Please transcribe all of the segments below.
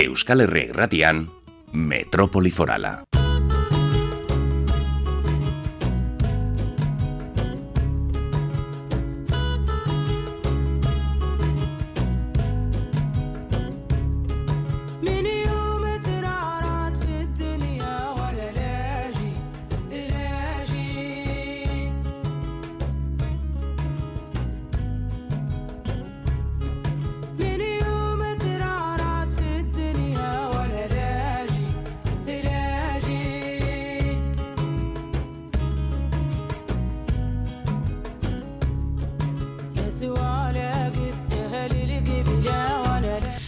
Euskal Herria Irratian, Metrópoli Forala.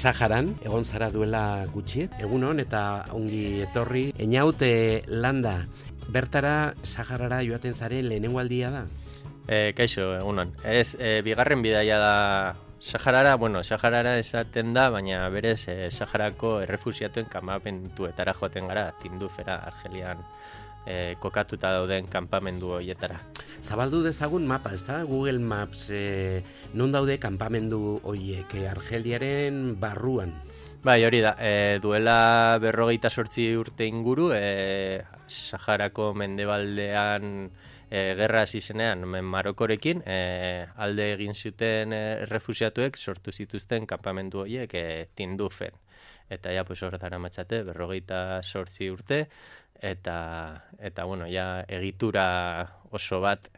Saharan, egon zara duela gutxi, egunon eta ongi etorri. Einaute landa, bertara Saharara joaten zaren lehenengo aldia da? Kaixo, egunon. Bigarren bidaia da Saharara, Saharara esaten da, baina berez Saharako errefusiatuen kanpamentuetara joaten gara, Tindufera, Argelian kokatuta dauden kanpamendu horietara. Zabaldu dezagun mapa, ez da? Google Maps, non daude kanpamendu horiek Argeliaren barruan? Bai, hori da, duela 48 urte inguru, Saharako mendebaldean gerra hasi zenean Marokorekin, alde egin zuten errefusiatuek sortu zituzten kanpamendu horiek Tindufen. Eta ja, horretara matxate, 48 urte, eta egitura oso bat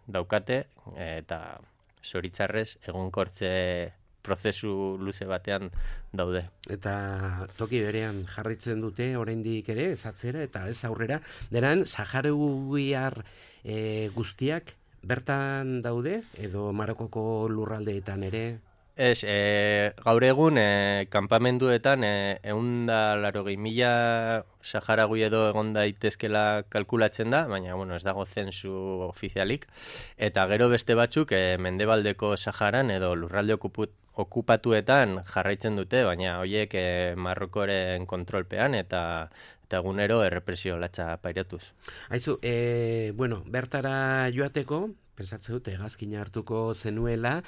daukate, eta zoritzarrez egonkortze prozesu luze batean daude. Eta toki berean jarraitzen dute oraindik ere, ez atzera eta ez aurrera, denan saharuiar guztiak bertan daude, edo Marokoko lurraldeetan ere? Ez, gaur egun kanpamenduetan 180.000 saharagui edo egon daitezkela kalkulatzen da, baina ez dago zensu ofizialik, eta gero beste batzuk mendebaldeko Saharan edo lurralde okupatuetan jarraitzen dute, baina horiek Marrokoren kontrolpean eta egunero errepresio latza pairatuz. Aizu, bertara joateko, pensatzen dut, hegazkina hartuko zenuela,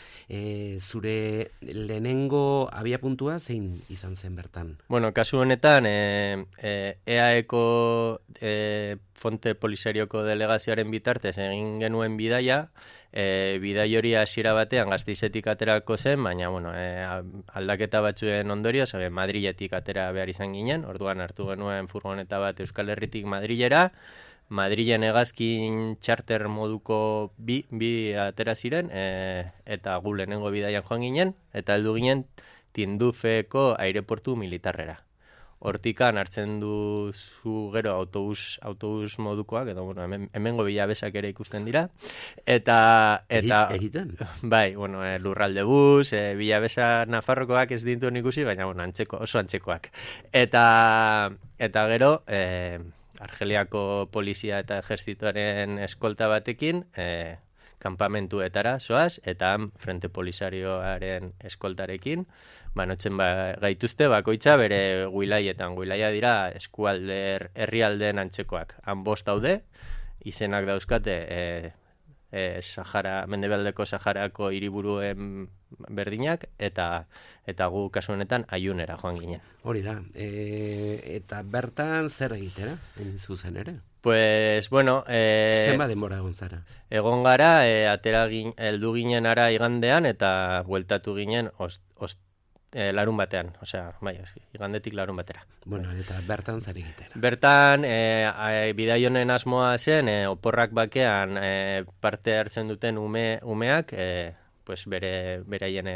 zure lehenengo abiapuntua zein izan zen bertan? Kasu honetan, EAEko Fonte Polisarioko delegazioaren bitartez egin genuen bidaia, bidai hori hasiera batean Gasteizetik aterako zen, baina aldaketa batzuen ondorioz, Madriletik atera behar izan ginen, orduan hartu genuen furgoneta bat Euskal Herritik Madrilera, Madrilen hegazkin charter moduko bi atera ziren, eta gu lehenengo bidaian joan ginen, eta heldu ginen Tindufeko aireportu militarrera. Hortikan hartzen duzu gero autobus modukoak, edo hemengo bilabesak ere ikusten dira. Eta egiten? Bai, lurralde bus, bilabesa Nafarrokoak ez dituen ikusi, baina oso antzekoak. Eta gero, Argeliako polizia eta ejerzitoaren eskolta batekin, kanpamentuetara zoaz, eta Frente Polisarioaren eskoltarekin, banotzen gaituzte bakoitza bere guilaietan. Guilaia dira eskualder herrialdeen antzekoak. Han 5 daude, izenak dauzkate mendebaldeko Saharako hiriburuen berdinak, eta gu kasu honetan Aiunera joan ginen. Hori da, eta bertan zer egitera, zuzen ere? Zenba denbora egon zara? Egon gara, heldu ginen ara igandean, eta bueltatu ginen larun batean, igandetik larun batera. Eta bertan zer egitera? Bertan, bidai honen asmoa zen, oporrak bakean parte hartzen duten umeak, beraien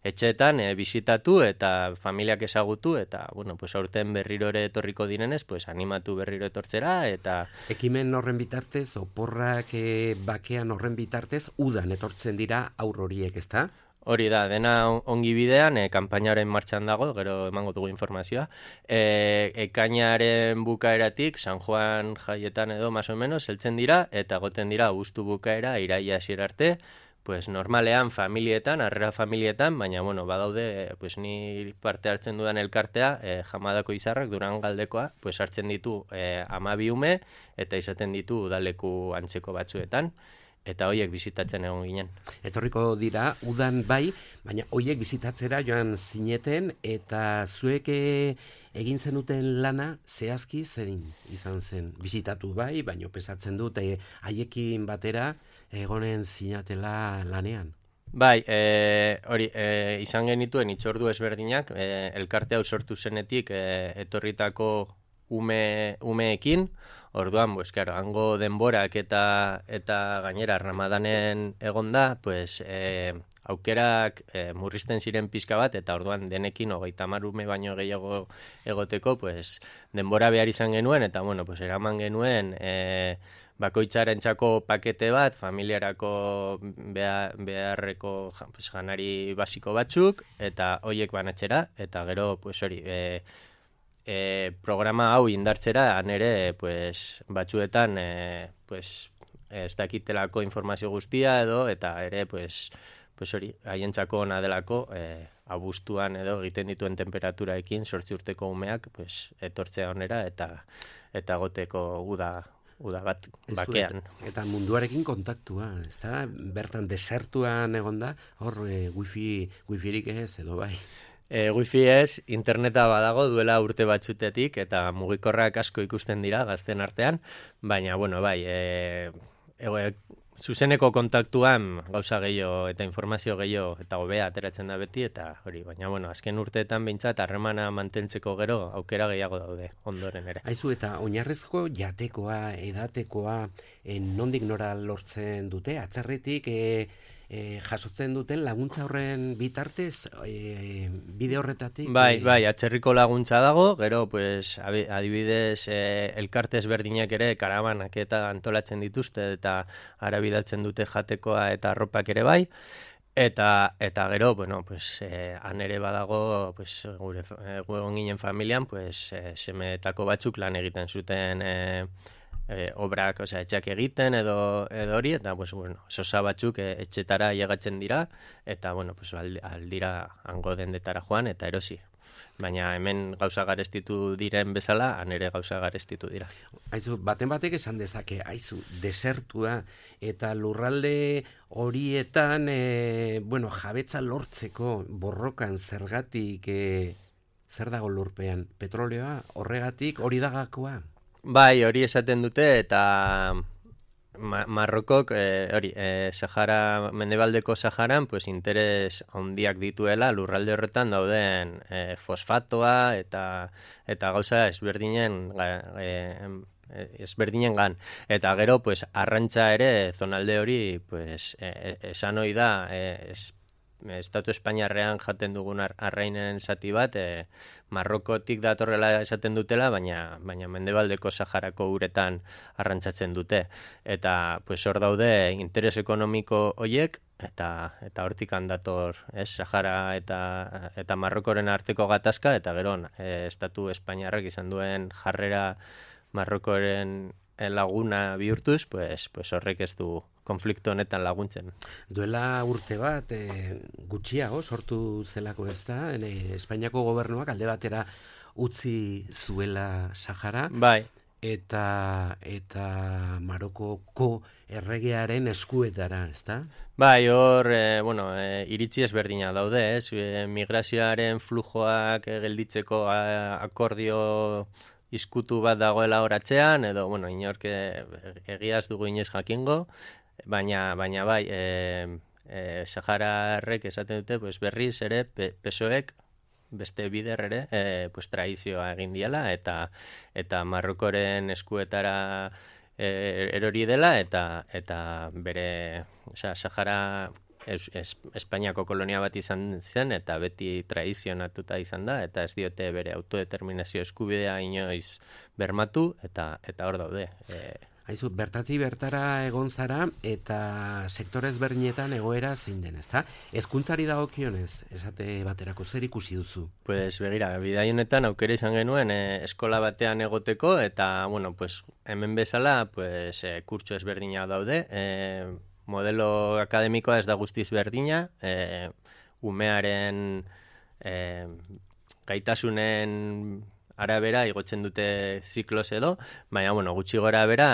etxeetan bisitatu eta familiak ezagutu, eta aurten berriro ere etorriko direnez, animatu berriro etortzera, eta... Ekimen horren bitartez, oporrak bakean horren bitartez, udan etortzen dira aur horiek, ezta? Hori da, dena ongi bidean, kanpainaren martxan dago, gero emango dugu informazioa. Ekainaren bukaeratik, San Juan jaietan edo, más o menos, heltzen dira, eta goten dira abuztu bukaera, iraila hasiera arte, normalean familietan, harrera familietan, baina, badaude, ni parte hartzen dudan elkartea, Jamadako Izarrak, Durangaldekoa, hartzen ditu 12 ume, eta izaten ditu udaleku antzeko batzuetan, eta hoiek bizitatzen egon ginen. Etorriko dira, udan bai, baina hoiek bizitatzera joan zineten, eta zuek egin zenuten lana zehazki zein izan zen. Bizitatu bai, baina pesatzen dut haiekin batera egonen zinatela lanean. Bai, hori, izan genituen hitzordu ezberdinak, elkarte hau sortu zenetik etorritako umeekin, orduan, pues, claro, hango denborak eta gainera Ramadanen egonda, pues, aukerak murrizten ziren pizka bat, eta orduan denekin 30 ume baino gehiago egoteko, pues, denbora behar izan genuen, eta bueno, pues, eraman genuen bakoitzarentzako pakete bat, familiarako beharreko pues, janari basiko batzuk, eta hoiek banatzera, eta gero, pues, hori, programa hau indartzera, han ere, pues, batzuetan, pues, ez dakitelako informazio guztia edo, eta ere, pues hori, haientzako ona delako, abuztuan edo egiten dituen temperaturaekin 8 urteko umeak, pues, etortzea onera, eta goteko uda bat bakean. Eta munduarekin kontaktua, ezta? Bertan desertuan egonda, hor wifirik ez edo bai. Wifi ez, interneta badago duela urte batzutetik, eta mugikorrak asko ikusten dira gazten artean, baina, bueno, bai, zuzeneko kontaktuan gauza gehiago eta informazio gehiago eta hobea ateratzen da beti, eta hori, baina, bueno, azken urteetan behintzat harremana mantentzeko gero aukera gehiago daude ondoren ere. Aizu, eta oinarrizko jatekoa, edatekoa, nondik nora lortzen dute, atzerritik jasotzen duten laguntza horren bitartez, bide horretatik? Bai, atzerriko laguntza dago, gero, pues, adibidez, elkarte ezberdinak ere karabanak eta antolatzen dituzte, eta ara bidaltzen dute jatekoa eta arropak ere bai, eta gero, bueno, pues, han ere badago, pues, gure egon ginen familian, pues, semeetako batzuk lan egiten zuten obrak, osea, etxeak egiten edo hori, eta, pues, bueno, sosa batzuk etxetara llegatzen dira, eta, bueno, pues, aldira hango dendetara joan, eta erosi. Baina hemen gauza garestitu diren bezala, han ere gauza garestitu dira. Aizu, baten batek esan dezake, aizu, desertua, eta lurralde horietan, bueno, jabetza lortzeko borrokan zergatik, zer dago lurpean? Petroleoa, horregatik, hori dagakoa? Bai, hori esaten dute, eta Marrokok, Sahara, mendebaldeko Saharan, pues, interes handiak dituela lurralde horretan dauden fosfatoa eta gauza ezberdinen eta gero, pues, arrantza ere zonalde hori, pues, esan ohi da, Estatu Espainiarrean jaten dugun arrainen zati bat, Marrokotik datorrela esaten dutela, baina mendebaldeko Saharako uretan arrantzatzen dute. Eta, pues, hor daude interes ekonomiko hoiek, eta hortikan dator, Sahara eta Marrokoren arteko gatazka, eta gero, Estatu Espainiarrak izan duen jarrera Marrokoren laguna bihurtuz, pues horrek ez du konflikto honetan laguntzen. Duela urte bat, gutxiago sortu zelako ez da, Espainiako gobernuak alde batera utzi zuela Sahara, bai, eta Marokoko erregearen eskuetara, ez da? Bai, hor, iritzi ezberdina daude, migrazioaren flujoak gelditzeko akordio izkutu bat dagoela horatzean, edo, inork egiaz dugu inoiz jakingo, baina bai, Sahararrek esaten dute, pues, berriz ere, PSOEk beste bider ere, pues, traizioa egin diela, eta Marrokoren eskuetara erori dela, eta bere, Sahara Espainiako kolonia bat izan zen, eta beti traizionatuta izan da, eta ez diote bere autodeterminazio eskubidea inoiz bermatu, eta hor daude. Aizu, bertatik bertara egon zara, eta sektore ezberdinetan egoera zein den, ezta? Hezkuntzari dagokionez, esate baterako zer ikusi duzu? Pues begira, bidai honetan aukera izan genuen eskola batean egoteko, eta, pues, hemen bezala, pues, kurtso ezberdina daude, modelo akademikoa ez da guztiz berdina, umearen gaitasunen arabera igotzen dute zikloz edo, baina, bueno, gutxi gora bera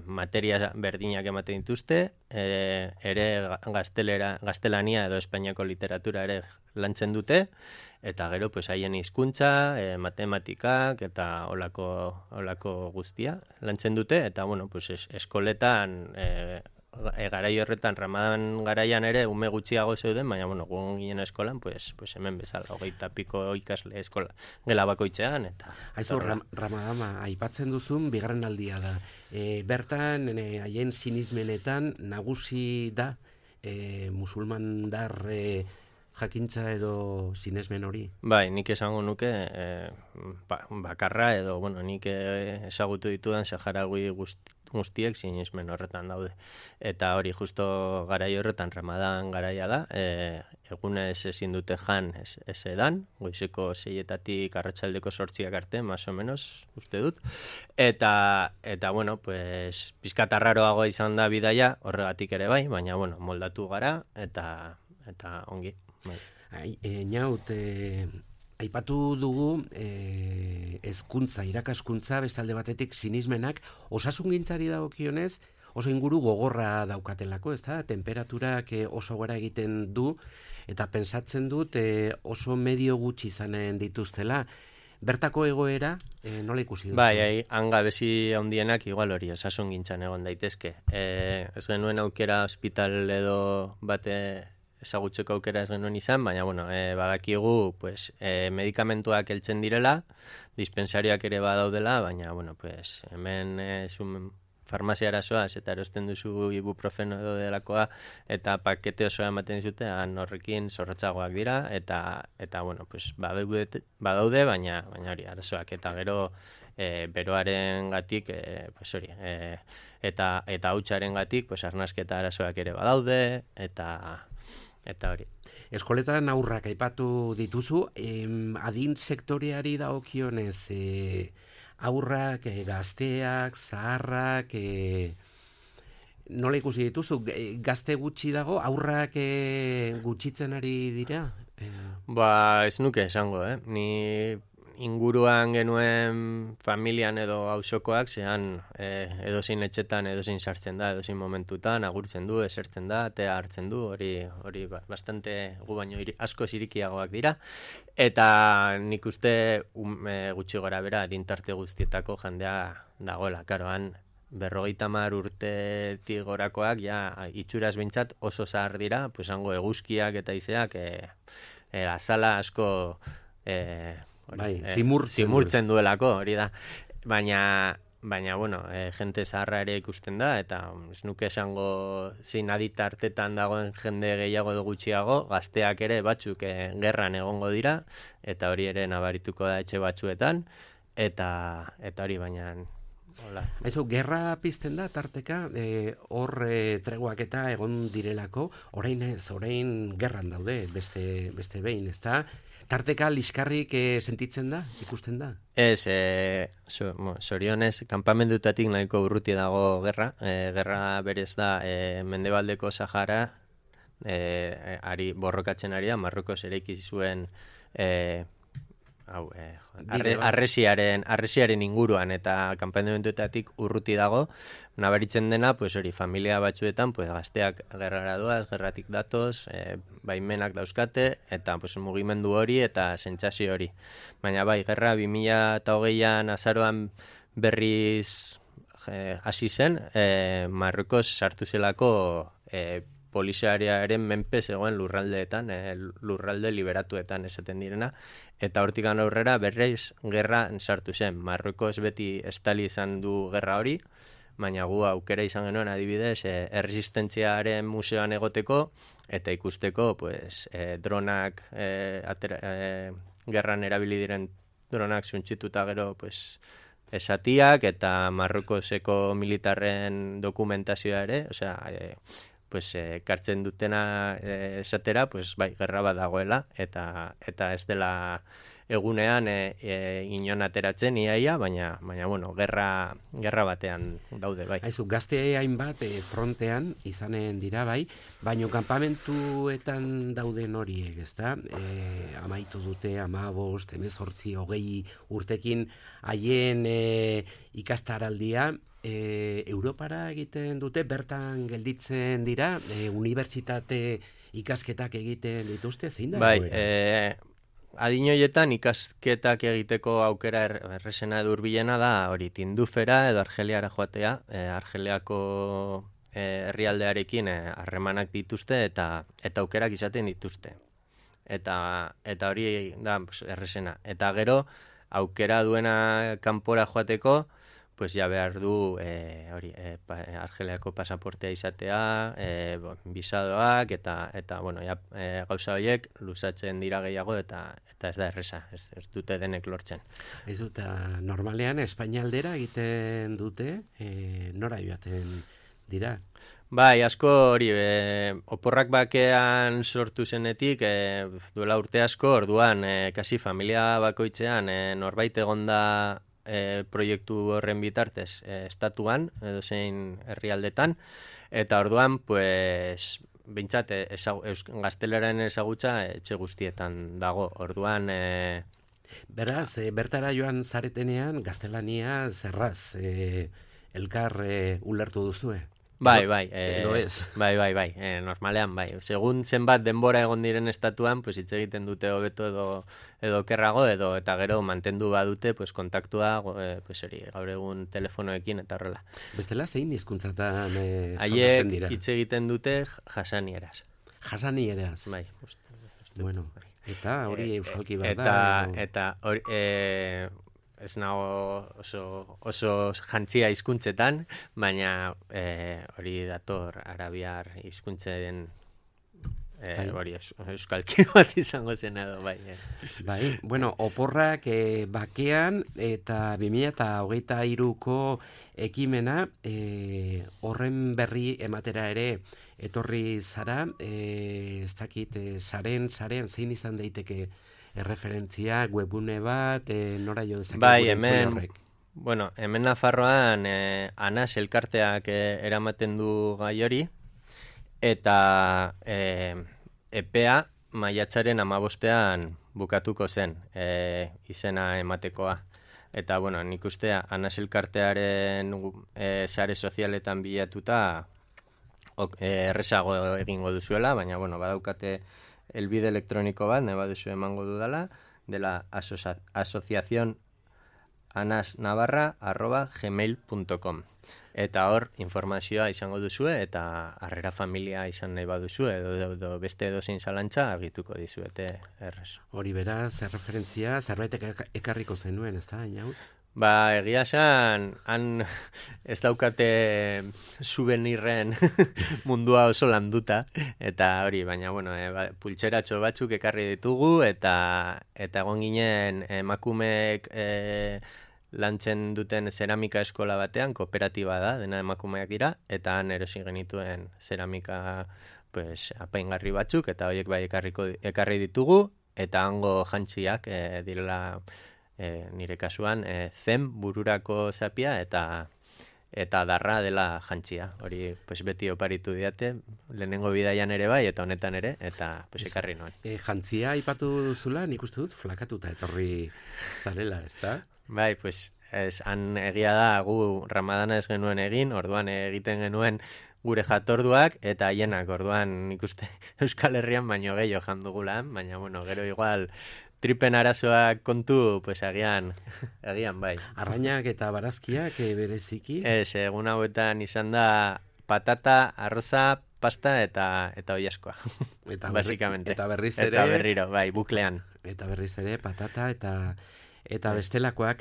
materia berdinak ematen dituzte, ere gaztelania edo Espainiako literatura ere lantzen dute, eta gero pues haien hizkuntza, matematikak eta olako guztia lantzen dute, eta bueno, pues eskoletan garai horretan Ramadan garaian ere ume gutxiago zeuden, baina bueno, gu ginen eskolan, pues hemen bezala 20 piko ikasle eskola gela bakoitzean eta Aizu Ramadama aipatzen duzun bigarren aldia da. Bertan haien sinismenetan nagusi da musulmandar jakintza edo sinesmen hori? Bai, nik esango nuke bakarra edo, bueno, nik ezagutu ditudan saharaui guztiek sinesmen horretan daude. Eta hori justo garai horretan Ramadan garaia da, egunez ezin dute jan ez edan, goizeko 6etatik arratsaldeko 8 arte, más o menos, uste dut. Eta bueno, pues pizkat arraroago izan da bidaia, horregatik ere bai, baina bueno, moldatu gara eta ongi. Bai. Naut, aipatu dugu hezkuntza, irakaskuntza, beste alde batetik sinismenak, osasungintzari dagokionez oso inguru gogorra daukatelako, ezta? Temperaturak oso gora egiten du, eta pentsatzen dut oso medio gutxi izanen dituztela. Bertako egoera, nola ikusi duzu? Bai, hangabezi handienak igual hori osasungintzan egon daitezke. Ez genuen aukera ospital edo bate ezagutzeko aukera ez genuen izan, baina bueno, badakigu pues, medikamentuak heltzen direla, dispensariak ere badaudela, baina bueno, pues, hemen farmaziara zoaz eta erosten duzu ibuprofeno edo delakoa eta pakete osoa ematen dizute, horrekin zorrotzagoak dira eta bueno, pues, badaude, baina hori arazoak eta gero beroaren gatik pues hori, eta hautsaren gatik pues, arnasketa arazoak ere badaude eta hori. Eskoletan aurrak aipatu dituzu, adin sektoreari dagokionez aurrak, gazteak, zaharrak, nola ikusi dituzu? Gazte gutxi dago, aurrak gutxitzen ari dira? Ba, ez nuke esango, ni inguruan genuen familian edo auzokoak zean edozein etxetan edozein sartzen da, edozein momentutan agurtzen du, esertzen da, tea hartzen du, hori bastante gu baino asko zirikiagoak dira, eta nik uste gutxi gora bera adintarte guztietako jendea dagoela, karoan 50 urtetik gorakoak ja itxuraz behintzat oso zahar dira, pues hango eguzkiak eta izeak azala asko zimurtzen duelako, hori da. Baina bueno, jente zaharra ere ikusten da, eta ez nuke esango zein aditartetan dagoen jende gehiago edo gutxiago, gazteak ere batzuk gerran egongo dira, eta hori ere nabarituko da etxe batzuetan, eta hori baina... Aizu, gerra pizten da, tarteka, hor treguak eta egon direlako, orain gerran daude, beste behin, ezta? Tarteka liskarrik sentitzen da, ikusten da? Ez, sorionez, kanpamendutatik nahiko urruti dago gerra. Gerra berez da, Mendebaldeko Sahara, borrokatzen ari da, Marrokos eraiki zuen arresiaren inguruan eta kanpamentuetatik urruti dago, nabaritzen dena, pues hori, familia batzuetan, pues gazteak gerrara doaz, gerratik datoz, baimenak dauzkate, eta pues mugimendu hori eta sentsazio hori. Baina bai, gerra 2008an azaroan berriz hasi zen, Marrokos sartu zelako poliziariaren menpe zegoen lurraldeetan, lurralde liberatuetan esaten direna, eta hortikan aurrera berreiz gerra sartu zen. Marruekos beti estali izan du gerra hori, baina gu aukera izan genuen adibidez erresistentziaren museoan egoteko, eta ikusteko pues, dronak, gerran erabili diren dronak zuntxituta gero pues, esatiak, eta Marruekoseko militarren dokumentazioa ere, osea, pues kartzen dutena esatera, pues bai, gerra bat dagoela eta ez dela egunean inon ateratzen iaia, baina bueno, gerra batean daude, bai. Aizu, gazte hainbat frontean izanen dira, bai, baino kanpamentuetan dauden horiek, ezta? Amaitu dute 15, 18, 20 urtekin haien ikastaraldia, Europara egiten dute, bertan gelditzen dira, unibertsitate ikasketak egiten dituzte, zein da? Bai, adin horietan ikasketak egiteko aukera erresena edo hurbilena da hori Tindufera edo Argeliara joatea, Argeliako herrialdearekin harremanak dituzte eta aukerak izaten dituzte. Eta hori da erresena. Eta gero aukera duena kanpora joateko, pues ja behar du Argeliako pasaportea izatea, bisadoak eta bueno, gauza horiek luzatzen dira gehiago eta ez da erresa, ez dute denek lortzen. Ez dut, normalean Espainialdera egiten dute, nora joaten dira? Bai, asko hori, oporrak bakean sortu zenetik, duela urte asko, orduan, kasi familia bakoitzean, norbait egonda proiektu horren bitartez estatuan, edo zein herrialdetan, eta orduan, pues, behintzat, gazteleraren ezagutza etxe guztietan dago. Orduan... Beraz, bertara joan zaretenean, gaztelania zerraz, elkar ulertu duzue? Bai, normalean, bai. Segun zenbat denbora egon diren estatuan, pues hitz egiten dute hobeto edo kerrago, eta gero mantendu badute, pues kontaktua, pues hori, gaur egun telefonoekin eta horrela. Bestela zein hizkuntzatan haiek hitz egiten dute jasanieraz. Jasanieraz. Bai, bueno, eta hori euskalki bada. Eta hori... ez nago oso jantzia hizkuntzetan, baina hori dator arabiar hizkuntzen hori euskalki bat izango zen edo, bai. Bai, bueno, oporrak bakean eta 2023ko ekimena horren berri ematera ere etorri zara, ez dakit, sarean zein izan daiteke erreferentzia, webune bat, nora jo dezakegu bai, hemen Nafarroan Anas elkarteak eramaten du gai hori, eta epea maiatzaren 15ean bukatuko zen izena ematekoa. Eta, bueno, nik uste Anas elkartearen sare sozialetan bilatuta errezago egingo duzuela, baina, bueno, badaukate elbide elektroniko bat, nahi baduzu emango dudala, dela asociación anasnavarra@gmail.com. Eta hor informazioa izango duzue, eta harrera familia izan nahi baduzu, edo beste edozein zalantza argituko dizuete errez. Hori beraz, erreferentzia, zerbait ekarriko zenuen, ez da, Inaut? Ba, egia esan, han ez daukate souvenirren mundua oso landuta, eta hori, baina, bueno, pultseratxo batzuk ekarri ditugu, eta egon ginen emakumeek lantzen duten zeramika eskola batean, kooperatiba da, dena emakumeak dira, eta han erosi genituen zeramika apaingarri batzuk, eta horiek bai ekarri ditugu, eta hango jantziak direla... nire kasuan, zen bururako zapia eta darra dela jantzia. Hori beti oparitu diate, lehenengo bidaian ere bai, eta honetan ere, eta ekarri noen. Jantzia aipatu duzula, nik uste dut, flakatuta etorri zarela, ez da? Bai, han egia da, gu Ramadana ez genuen egin, orduan egiten genuen gure jatorduak, eta haienak, orduan nik uste Euskal Herrian baino gehiago jandugula, baina, bueno, gero igual... tripen arazoak kontu, agian bai. Arrainak eta barazkiak bereziki? Egun hauetan izan da patata, arroza, pasta eta oilaskoa. Basikamente. Eta berriz ere... Eta berriro, bai, buklean. Eta berriz ere patata eta bestelakoak.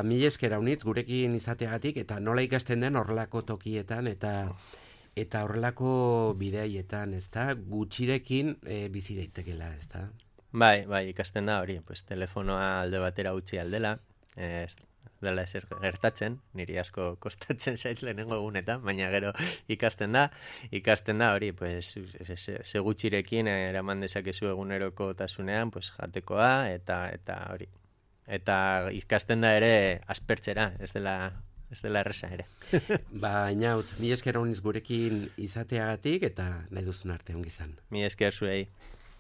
Mila esker haunitz gurekin izateagatik, eta nola ikasten den horrelako tokietan, eta horrelako bideaietan, ez da? Gutxirekin bizi daitekela, ez da? Bai, ikasten da hori, telefonoa alde batera utzi aldela, dela ezer gertatzen, niri asko kostatzen zait lehenengo egunetan, baina gero ikasten da hori, pues, ze gutxirekin eraman dezakezu eguneroko tasunean, pues, jatekoa, eta hori. Eta ikasten da ere aspertzera, ez dela erresa ere. Baina, mila esker honiz gurekin izateagatik, eta nahi duzun arte ongi izan. Mila esker zuei.